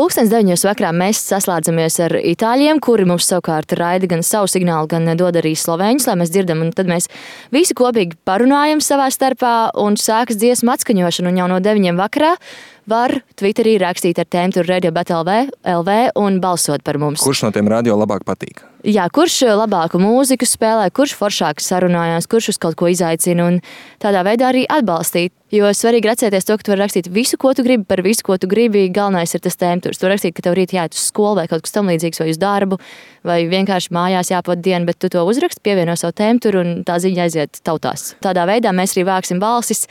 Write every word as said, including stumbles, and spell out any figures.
pulkstens deviņos vakarā mēs saslēdzamies ar itāļiem, kuri mums savukārt raida gan savu signālu, gan dod arī slovēņus, lai mēs dzirdam, un tad mēs visi kopīgi parunājam savā starpā un sākas dziesmu atskaņošana, un jau no deviņiem vakarā var Twitterī rakstīt ar tēmu Radio Bet L V un balsot par mums. Kurš no tiem radio labāk patīk? Jā, kurš labāku mūziku spēlē, kurš foršāk sarunājās, kurš uz kaut ko izaicina un tādā veidā arī atbalstīt. Jo svarīgi atcerēties to, ka tu vari rakstīt visu, ko tu gribi, par visu, ko tu gribi. Galvenais ir tas tēmturs. Tu vari rakstīt, ka tev rīt jāiet uz skolu vai kaut kas tam līdzīgs, vai uz darbu, vai vienkārši mājās jāpavada diena, bet tu to uzraksti, pievieno savu tēmturu un tā ziņa aiziet tautās. Tādā veidā mēs arī vāksim balsis